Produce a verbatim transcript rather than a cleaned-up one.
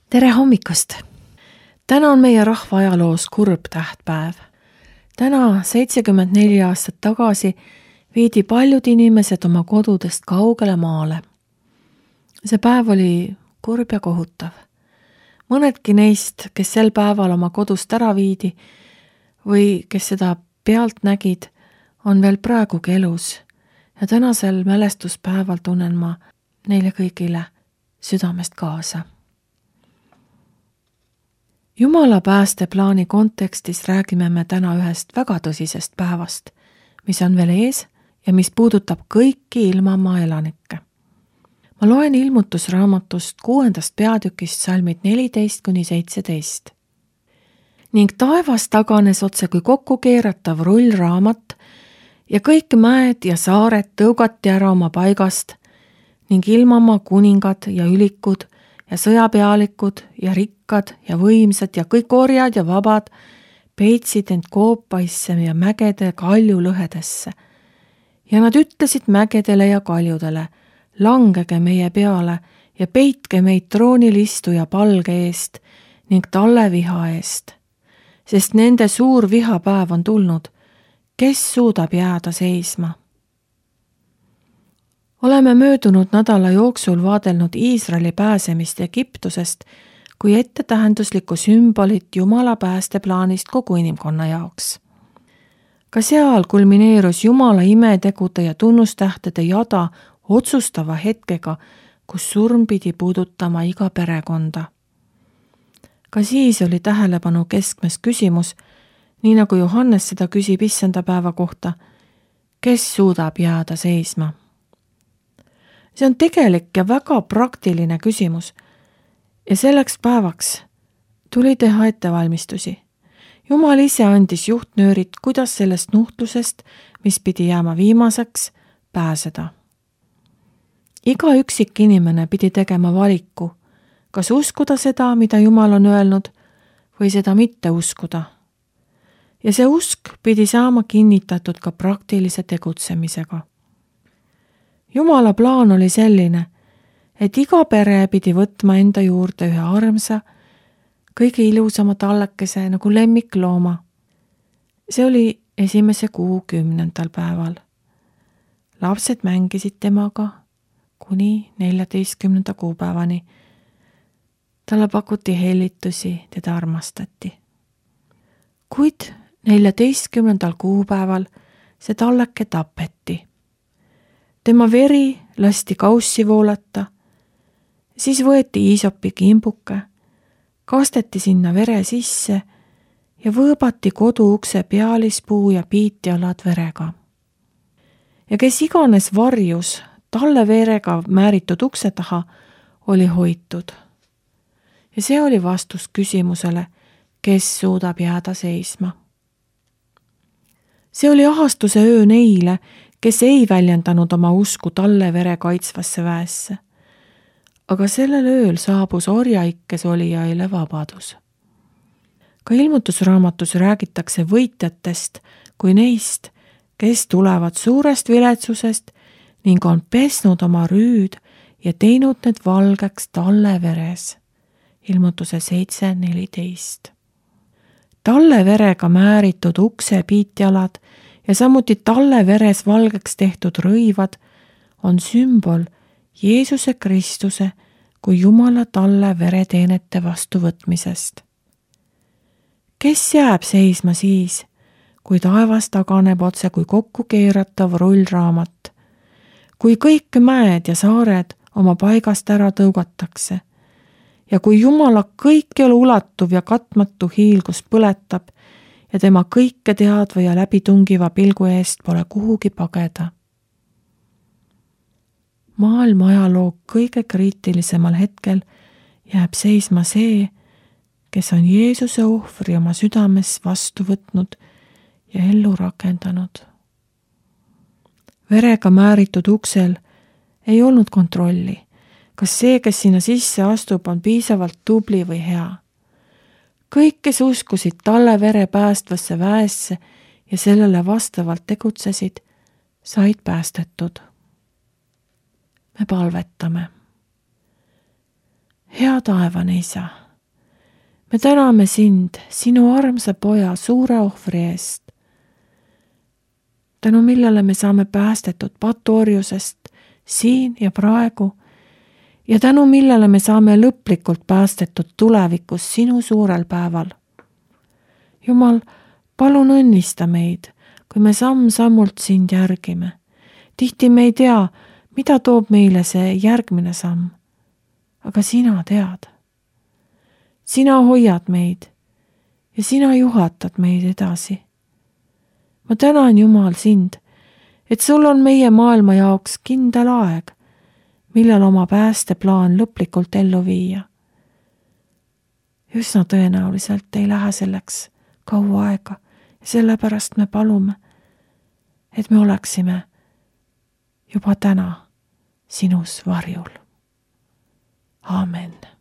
Tere hommikust! Täna on meie rahva ajaloos kurb tähtpäev. Täna seitsekümmend neli aastat tagasi viidi paljud inimesed oma kodudest kaugele maale. See päev oli kurb ja kohutav. Mõnedki neist, kes sel päeval oma kodust ära viidi või kes seda pealt nägid, on veel praegugi elus ja tänasel mälestuspäeval tunnen ma neile kõigile südamest kaasa. Jumala päästeplaani kontekstis räägime me täna ühest väga tõsisest päevast, mis on veel ees ja mis puudutab kõiki ilmamaa elanikke. Ma loen ilmutusraamatust kuuendast peatükist salmid neliteist kuni seitseteist. Ning taevas taganes otse kui kokku keeratav rullraamat ja kõik mäed ja saared tõugati ära oma paigast ning ilmamaa kuningad ja ülikud ja sõjapealikud ja rikkad ja võimsad ja kõik orjad ja vabad peitsid end koopaisse ja mägede kaljulõhedesse. Ja nad ütlesid mägedele ja kaljudele, langege meie peale ja peitke meid troonil istuja palge eest ning talle viha eest. Sest nende suur vihapäev on tulnud, kes suudab jääda seisma? Oleme möödunud nädala jooksul vaadelnud Iisraeli pääsemist Egiptusest kui ettetähenduslikku sümbolit Jumala päästeplaanist kogu inimkonna jaoks. Ka seal kulmineerus Jumala imetegude ja tunnustähtede jada otsustava hetkega, kus surm pidi puudutama iga perekonda. Ka siis oli tähelepanu keskmes küsimus, nii nagu Johannes seda küsib issanda päeva kohta, kes suudab jääda seisma? See on tegelik ja väga praktiline küsimus ja selleks päevaks tuli teha ettevalmistusi. Jumal ise andis juhtnöörid, kuidas sellest nuhtlusest, mis pidi jääma viimaseks, pääseda. Iga üksik inimene pidi tegema valiku, kas uskuda seda, mida Jumal on öelnud, või seda mitte uskuda. Ja see usk pidi saama kinnitatud ka praktilise tegutsemisega. Jumala plaan oli selline, et iga pere pidi võtma enda juurde ühe armsa, kõige ilusama tallekese nagu lemmiklooma. See oli esimese kuu kümnendal päeval. Lapsed mängisid temaga kuni neljateistkümnenda kuupäevani. Talle pakuti hellitusi, teda armastati. Kuid neljateistkümnendal kuupäeval see talleke tapeti. Tema veri lasti kaussi voolata, siis võeti iisopi kimbuke, kasteti sinna vere sisse ja võõbati kodu ukse pealispuu ja piitjalad verega. Ja kes iganes varjus talle verega määritud ukse taha, oli hoitud. Ja see oli vastus küsimusele, kes suudab jääda seisma. See oli ahastuse öö neile, kes ei väljendanud oma usku talle vere kaitsvasse väesse. Aga sellel ööl saabus orjaikkes olijaile vabadus. Ka ilmutusraamatus räägitakse võitjatest kui neist, kes tulevad suurest viletsusest ning on pesnud oma rüüd ja teinud need valgeks talle veres. Ilmutuse seitse neliteist. Talle verega määritud ukse piitjalad ja samuti talle veres valgeks tehtud rõivad on sümbol Jeesuse Kristuse kui Jumala talle vereteenete vastuvõtmisest. Kes jääb seisma siis, kui taevas taganeb otse kui kokku keeratav rullraamat, kui kõik mäed ja saared oma paigast ära tõugatakse ja kui Jumala kõikjal ulatuv ja katmatu hiilgus põletab ja tema kõike teadva ja läbitungiva pilgu eest pole kuhugi pageda. Maailma ajaloo kõige kriitilisemal hetkel jääb seisma see, kes on Jeesuse ohvri oma südames vastu võtnud ja ellu rakendanud. Verega määritud uksel ei olnud kontrolli, kas see, kes sinna sisse astub, on piisavalt tubli või hea. Kõik, kes uskusid talle vere päästvasse väesse ja sellele vastavalt tegutsesid, said päästetud. Me palvetame. hea taevane Isa, me täname sind sinu armsa poja suure ohvri eest, tänu millele me saame päästetud patuorjusest siin ja praegu ja tänu millele me saame lõplikult päästetud tulevikus sinu suurel päeval. Jumal, palun õnnista meid, kui me samm-sammult sind järgime. Tihti me ei tea, mida toob meile see järgmine samm, aga sina tead. Sina hoiad meid ja sina juhatad meid edasi. Ma tänan, Jumal, sind, et sul on meie maailma jaoks kindel aeg, millal oma päästeplaan lõplikult ellu viia. Üsna tõenäoliselt ei lähe selleks kaua aega ja sellepärast me palume, et me oleksime juba täna sinus varjul. Aamen.